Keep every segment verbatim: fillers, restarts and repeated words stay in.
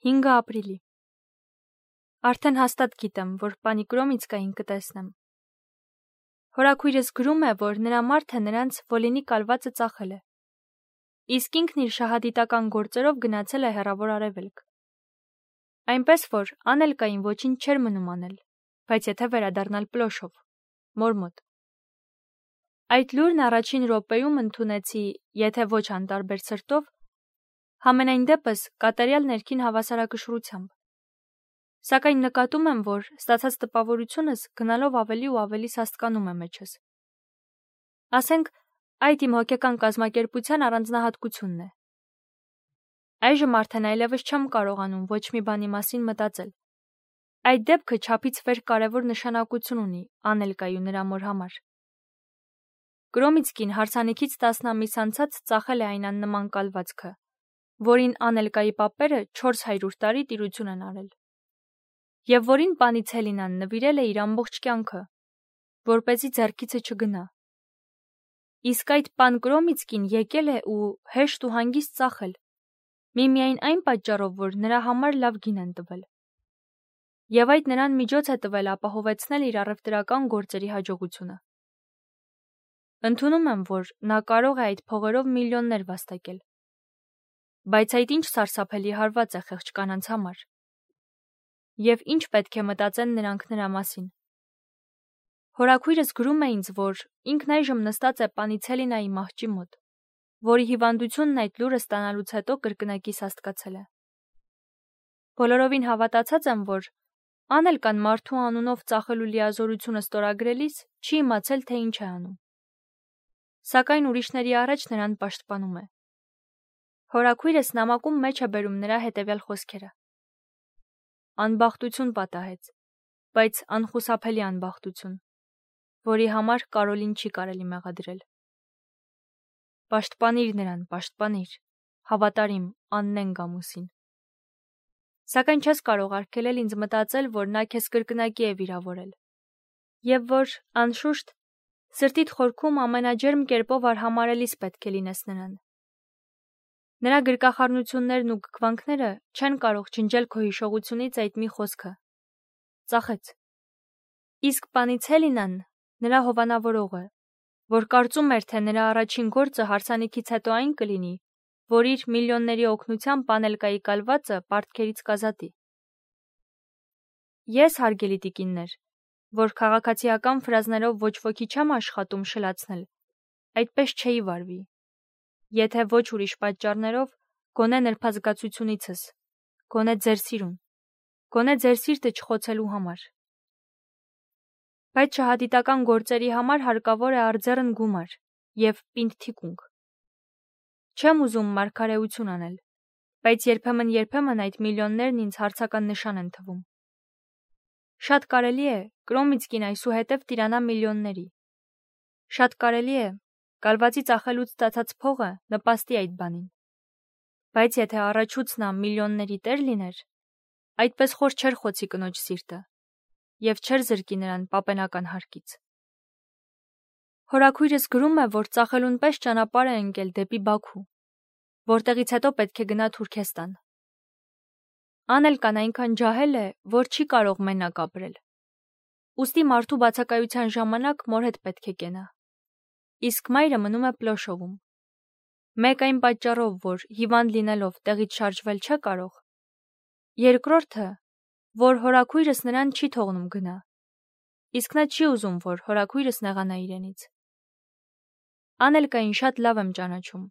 հինգը ապրիլի։ Արդեն հաստատ գիտեմ, որ պանի Կրոմիցկային կտեսնեմ։ Հորաքույրս գրում է, որ նրա մարդը նրանց Վոլինի կալվածը ծախել է։ Իսկ ինքն իր շահադիտական գործերով գնացել է հեռավոր արևելք։ Այնպես որ Անելկային ոչինչ չէր մնում անել, բայց եթե վերադառնալ Պլոշով, մոր մոտ։ Այդ լուրն առաջին րոպեում ընդունեցի, եթե ոչ անտարբեր սրտով, համենայն դեպս կատարյալ ներքին հավասարակշռությամբ։ Սակայն նկատում եմ, որ ստացած տպավորությունս գնալով ավելի ու ավելի սաստկանում է մեջս։ Ասենք, այդ իմ հոգեկան կազմակերպության առանձնահատկությունն է։ Այժմ արդեն այլևս չեմ կարողանում ոչ մի բանի մասին մտածել։ Այդ դեպքը չափից վեր կարևոր նշանակություն ունի Անելկայի ու նրա մոր համար։ Կրոմիցկին հարսանիքից տասն ամիս անցած ծախել է այն աննման կալվածքը, որին Անելկայի պապերը չորս հարյուր տարի տիրություն են արել, և որին պանի Ցելինան նվիրել է իր ամբողջ կյանքը, որպեսզի ձեռքիցը չգնա։ Իսկ այդ պան Կրոմիցկին եկել է ու հեշտ ու հանգիստ ծախել, միմիայն այն պատճառով, որ նրա համար լավ գին են տվել։ Եվ այդ նրան միջոց է տվել ապահովեցնել իր առևտրական գործերի հաջողությունը։ Ընդունում եմ, որ նա կարող է այդ փողերով միլիոններ վաստակել։ Բայց այդ ինչ սարսափելի հարված է խեղճ կանանց համար։ Եվ ինչ պետք է մտածեն նրանք նրա մասին։ Հորաքույրս գրում է ինձ, որ ինքն այժմ նստած է պանի Ցելինայի մահճի մոտ, որի հիվանդությունն այդ լուրը ստանալուց հետո կրկնակի սաստկացել է։ Բոլորովին հավատացած եմ, որ Անելկան մարդու անունով ծախելու լիազորությունը ստորագրելիս չի իմացել, թե ինչ է անում։ Սակայն ուրիշների առաջ նրան պաշտպանում է։ Հորաքույրս նամակում մեջ է բերում նրա հետևյալ խոսքերը. Անբախտություն պատահեց, բայց անխուսափելի անբախտություն, որի համար Կարոլին չի կարելի մեղադրել։ Պաշտպանիր նրան, պաշտպանիր, հավատարիմ աննեն գամուսին։ Սակայն չես կարող արգելել ինձ մտածել, որ նա քեզ կրկնակի է վիրավորել, և որ, անշուշտ, սրտիդ խորքում ամենաջերմ կերպով արհամարհելիս պետք է լինես նրան։ Նրա գրկախառնություններն ու գքվանքները չեն կարող ջնջել քո հիշողությունից այդ մի խոսքը. ծախեց։ Իսկ պանի Ցելինան նրա հովանավորողը, որ կարծում էր, թե նրա առաջին գործը հարսանիքից հետո այն կլինի, որ իր միլիոնների օգնությամբ Անելկայի կալվածը պարտքերից կազատի։ Ես, հարգելի տիկիններ, որ քաղաքացիական ֆրազներով ոչ ոքի չեմ աշխատում շլացնել, այդպես չէի վարվի, եթե ոչ ուրիշ պատճառներով, գոնե նրբազգացությունիցս, գոնե ձեր սիրուն, գոնե ձեր սիրտը չխոցելու համար։ Բայց շահադիտական գործերի համար հարկավոր է արձեռն գումար և պինդ թիկունք։ Չեմ ուզում մարգարեություն անել, բայց երբեմն-երբեմն այդ միլիոններն ինձ հարցական նշան են թվում։ Շատ կարելի է Կրոմիցկին այսուհետև տիրանա միլիոնների։ Շատ կարելի է կալվածի ծախելուց ստացած փողը նպաստի այդ բանին։ Բայց եթե առաջուց նա միլիոնների տեր լիներ, այդպես խոր չէր խոցի կնոջ սիրտը և չէր զրկի նրան պապենական հարկից։ Հորաքույրս գրում է, որ ծախելուն պես ճանապարհ է ընկել դեպի Բաքու, որտեղից հետո պետք է գնա Թուրքեստան։ Անելկան այնքան ջահել է, որ չի կարող մենակ ապրել։ Ուստի մարդու բացակայության ժամանակ մոր հետ պետք է կենա։ Իսկ մայրը մնում է Պլոշովում։ Մեկ այն պատճառով, որ հիվանդ լինելով տեղից շարժվել չէ կարող, երկրորդը, որ հորաքույրս նրան չի թողնում գնա, իսկ նա չի ուզում, որ հորաքույրս նեղանա իրենից։ Անելկային շատ լավ եմ ճանաչում,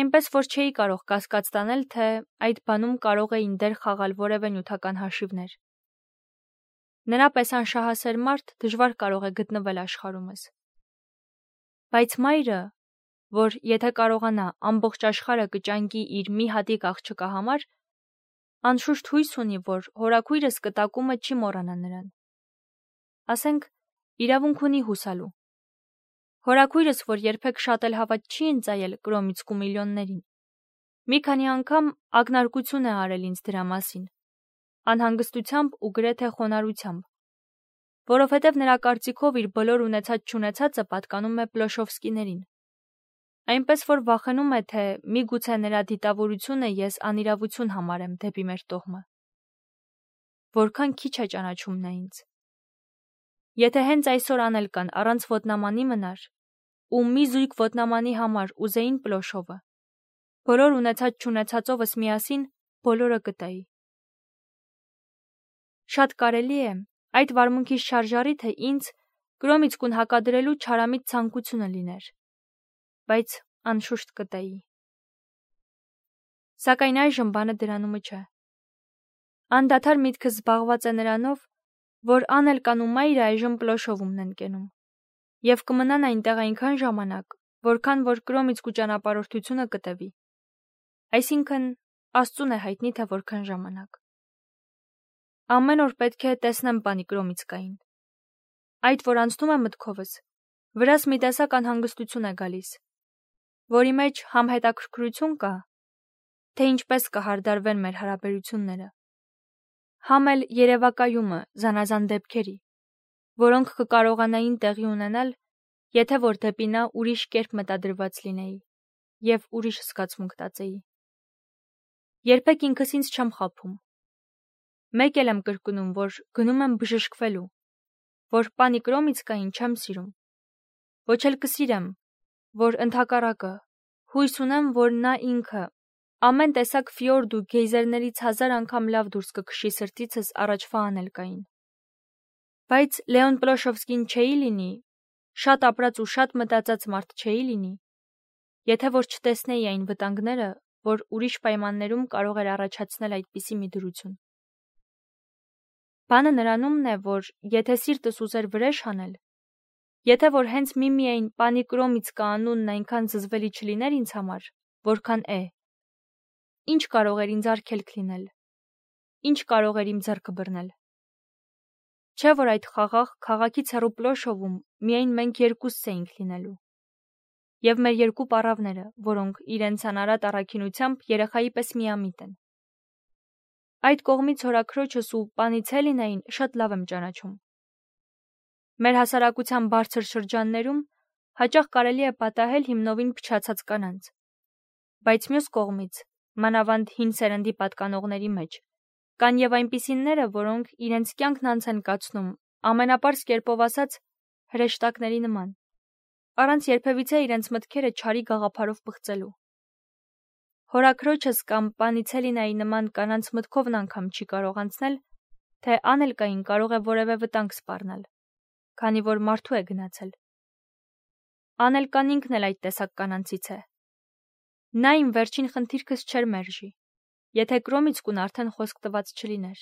այնպես որ չէի կարող կասկած տանել, թե այդ բանում կարող էին դեր խաղալ որևէ նյութական հաշիվներ։ Նրա պես անշահասեր մարդ դժվար կարող է գտնվել աշխարհումս։ Բայց մայրը, որ եթե կարողանա ամբողջ աշխարհը կճանկի իր մի հատիկ աղջկա համար, անշուշտ հույս ունի, որ հորաքույրս կտակումը չի մոռանա նրան։ Ասենք, իրավունք ունի հուսալու։ Հորաքույրս, որ երբեք շատ էլ հավատ չի ընծայել Կրոմիցկու միլիոններին, մի քանի անգամ ակնարկություն է արել ինձ դրա մասին, անհանգստությամբ ու գրեթե խոնարհությամբ, որովհետև նրա կարծիքով իր բոլոր ունեցած-չունեցածը պատկանում է Պլոշովսկիներին։ այնպես որ վախենում է, թե միգուցե նրա դիտավորությունը ես անիրավություն համարեմ դեպի մեր տոհմը։ Որքան քիչ է ճանաչում նա ինձ։ Եթե հենց այսօր անել կան առանց ոտնամանի մնար, ու մի զույգ ոտնամանի համար ուզեին Պլոշովը, բոլոր ունեցած չունեցածովս միասին բոլորը կտայի։ Շատ կարելի է այդ վարմունքիս շարժառիթը ինձ Կրոմիցկուն հակադրելու չարամիտ ցանկությունը լիներ, բայց անշուշտ կտայի։ Սակայն այժմ բանը դրանումը չէ։ Անդադար միտքս զբաղված է նրանով, որ Անելկան ու Մայրը այժմ Պլոշովումն են կենում, եւ կմնան այնտեղ այնքան ժամանակ, որքան որ Կրոմիցկու ճանապարհորդությունը կտևի։ Այսինքն Աստծուն է հայտնի, թե որքան ժամանակ։ Ամեն օր պետք է տեսնեմ պանի Կրոմիցկային։ Այդ, որ անցնում է մտքովս, վրաս մի տեսակ անհանգստություն է գալիս, որի մեջ համ հետաքրքրություն կա, թե ինչպես կհարդարվեն մեր հարաբերությունները, համ էլ երևակայումը զանազան դեպքերի, որոնք կկարողանային տեղի ունենալ, եթե որ դեպի նա ուրիշ կերպ մտադրված լինեի եւ ուրիշ զգացմունք տածեի։ Երբեք ինքս ինձ չեմ խաբում։ Մեկ էլ եմ կրկնում, որ գնում եմ բժշկվելու, որ պանի Կրոմիցկային չեմ սիրում, ոչ էլ կսիրեմ, որ ընդհակառակը հույս ունեմ, որ նա ինքը ամեն տեսակ ֆյորդ ու գեյզերներից հազար անգամ լավ դուրս կքշի սրտիցս առաջվա Անելկային։ Բայց Լեոն Պլոշովսկին չէի լինի, շատ ապրած ու շատ մտածած մարդ չէի լինի, եթե որ չտեսնեի այն վտանգները, որ ուրիշ պայմաններում կարող էր առաջացնել այդպիսի մի դրություն։ Բանը նրանումն է, որ եթե սիրտս ուզեր վրեժ անել, եթե որ հենց միմիայն պանի Կրոմիցկա անունն այնքան զզվելի չլիներ ինձ համար, որքան է, ինչ կարող էր ինձ արգելք լինել, ինչ կարող էր իմ ձեռքը բռնել։ Չէ որ այդ խաղաղ քաղաքից հեռու Պլոշովում միայն մենք երկուսս էինք լինելու, եւ մեր երկու պառավները, որոնք իրենց անարատ առաքինությամբ երեխայի պես միամիտ են։ Այդ կողմից հորաքրոջս ու պանի Ցելինային շատ լավ եմ ճանաչում։ Մեր հասարակության բարձր շրջաններում հաճախ կարելի է պատահել հիմնովին փչացած կանանց, բայց մյուս կողմից, մանավանդ հին սերնդի պատկանողների մեջ, կան եւ այնպիսիները, որոնք իրենց կյանքն անց են կացնում, ամենապարզ կերպով ասած, հրեշտակների նման, առանց երբևիցե իրենց մտքերը չարի գաղափարով բղծելու։ Հորաքրոջս կամ պանի Ցելինայի նման կանանց մտքովն անգամ չի կարող անցնել, թե Անելկային կարող է որևէ վտանգ սպառնել, քանի որ մարդու է գնացել։ Անելկան ինքն էլ այդ տեսակ կանանցից է։ Նա իմ վերջին խնդիրքս չէր մերժի, եթե Կրոմիցկուն արդեն խոսք տված չլիներ։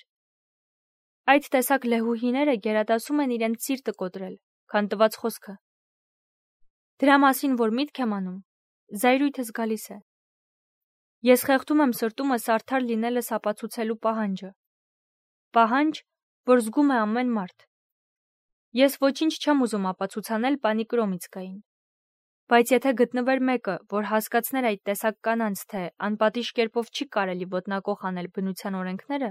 Այդ տեսակ լեհուհիները գերադասում են իրենց սիրտը կոտրել, քան տված խոսքը։ Դրա մասին, որ միտք եմ անում, զայրույթս գալիս է։ Ես խեղդում եմ սրտումս արդար լինելս ապացուցելու պահանջը։ Պահանջ, որ զգում է ամեն մարդ։ Ես ոչինչ չեմ ուզում ապացուցանել պանի Կրոմիցկային։ Բայց եթե գտնվեր մեկը, որ հասկացներ այդ տեսակ կանանց, թե անպատիժ կերպով չի կարելի ոտնակոխ անել բնության օրենքները,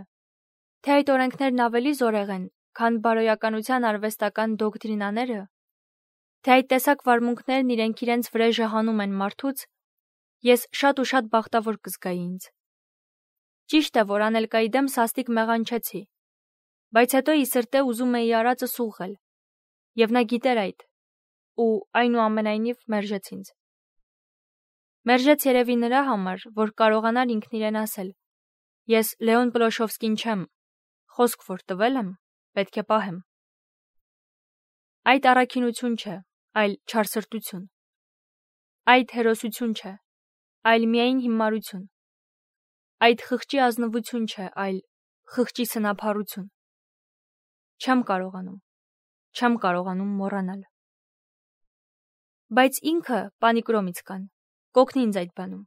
թե այդ օրենքներն ավելի զորեղ են, քան բարոյականության արվեստական դոկտրինաները, թե այդ տեսակ վարմունքներն իրենք իրենց վրեժը հանում են մարդուց, ես շատ ու շատ բախտավոր կզգայի ինձ։ Ճիշտ է, որ Անելկայի դեմ սաստիկ մեղանչեցի, բայց հետո ի սրտե ուզում էի արածս ուղղել, եւ նա գիտեր այդ, ու այնուամենայնիվ մերժեց ինձ։ Մերժեց երևի նրա համար, որ կարողանար ինքն իրեն ասել. ես Լեոն Պլոշովսկին չեմ, խոսք որ տվել եմ, պետք է պահեմ։ Այդ առաքինություն չէ, այլ չարսրտություն։ Այդ հերոսություն չէ, այլ միայն հիմարություն։ Այդ խղճի ազնվություն չէ, այլ խղճի սնափառություն։ Չեմ կարողանում, չեմ կարողանում մոռանալ։ Բայց ինքը, պանի Կրոմիցկան, կօգնի ինձ այդ բանում։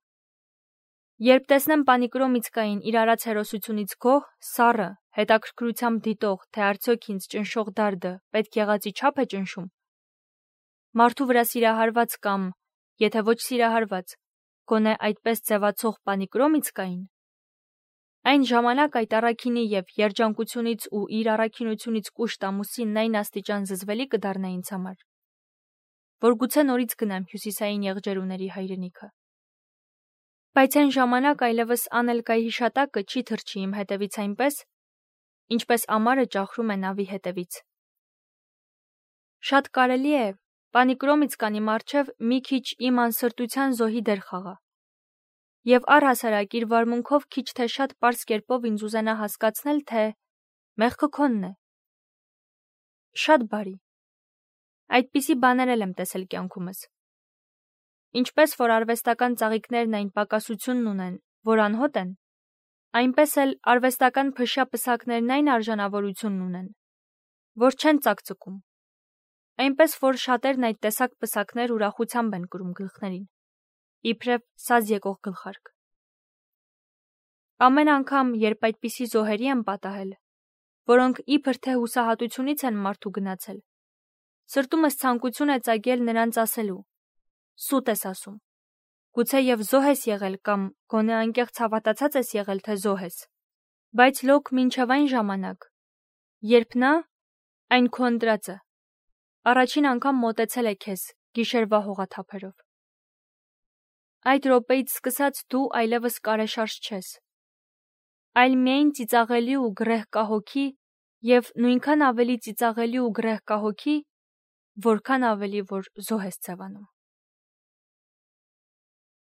Երբ տեսնեմ պանի Կրոմիցկային իր արած հերոսությունից գոհ, սառը, հետաքրքրությամբ դիտող, թե արդյոք ինձ ճնշող դարդը պետք եղածի չափ է ճնշում, մարդու վրա սիրահարված կամ, եթե ոչ սիրահարված, գոնե այդպես ձևացող պանի Կրոմիցկային, այն ժամանակ այդ առաքինի եւ երջանկությունից ու իր առաքինությունից կուշտ ամուսինն այն աստիճան զզվելի կդառնա ինձ համար, որ գուցե նորից գնամ հյուսիսային եղջերուների հայրենիքը։ Բայց այն ժամանակ այլևս Անելկայի հիշատակը չի թռչի իմ հետևից այնպես, ինչպես ամառը ճախրում է նավի հետևից։ Շատ կարելի է, Պանիկրոմից կան իմ առջև մի քիչ իմ անսրտության զոհի դեր խաղա, և առհասարակ իր վարմունքով քիչ թե շատ պարզ կերպով ինձ ուզենա հասկացնել, թե մեղքը քոնն է։ Շատ բարի։ Այդպիսի բաներ էլ եմ տեսել կյանքումս։ Ինչպես որ արվեստական ծաղիկներն այն պակասությունն ունեն, որ անհոտ են, այնպես էլ արվեստական փշյա պսակներն այն արժանավորությունն ունեն, որ չեն ծակծկում, այնպես որ շատերն այդ տեսակ պսակներ ուրախությամբ են կրում գլխներին, իբրև սազ եկող գլխարկ։ Ամեն անգամ, երբ այդպիսի զոհերի եմ պատահել, որոնք իբր թե հուսահատությունից են մարդու գնացել, սրտումս ցանկություն է ծագել նրանց ասելու. «Սուտ ես ասում, գուցե և զոհ ես եղել կամ գոնե անկեղծ հավատացած ես եղել, թե զոհ ես, բայց լոկ մինչև այն ժամանակ, երբ նա, այն քո ընտրածը, առաջին անգամ մոտեցել է քեզ գիշերվա հողաթափերով։ Այդ րոպեից սկսած դու այլևս կարեշարժ չես, այլ միայն ծիծաղելի ու գրեհ կահոգի և նույնքան ավելի ծիծաղելի ու գրեհ կահոգի, որքան ավելի որ զոհ ես ձևանում»։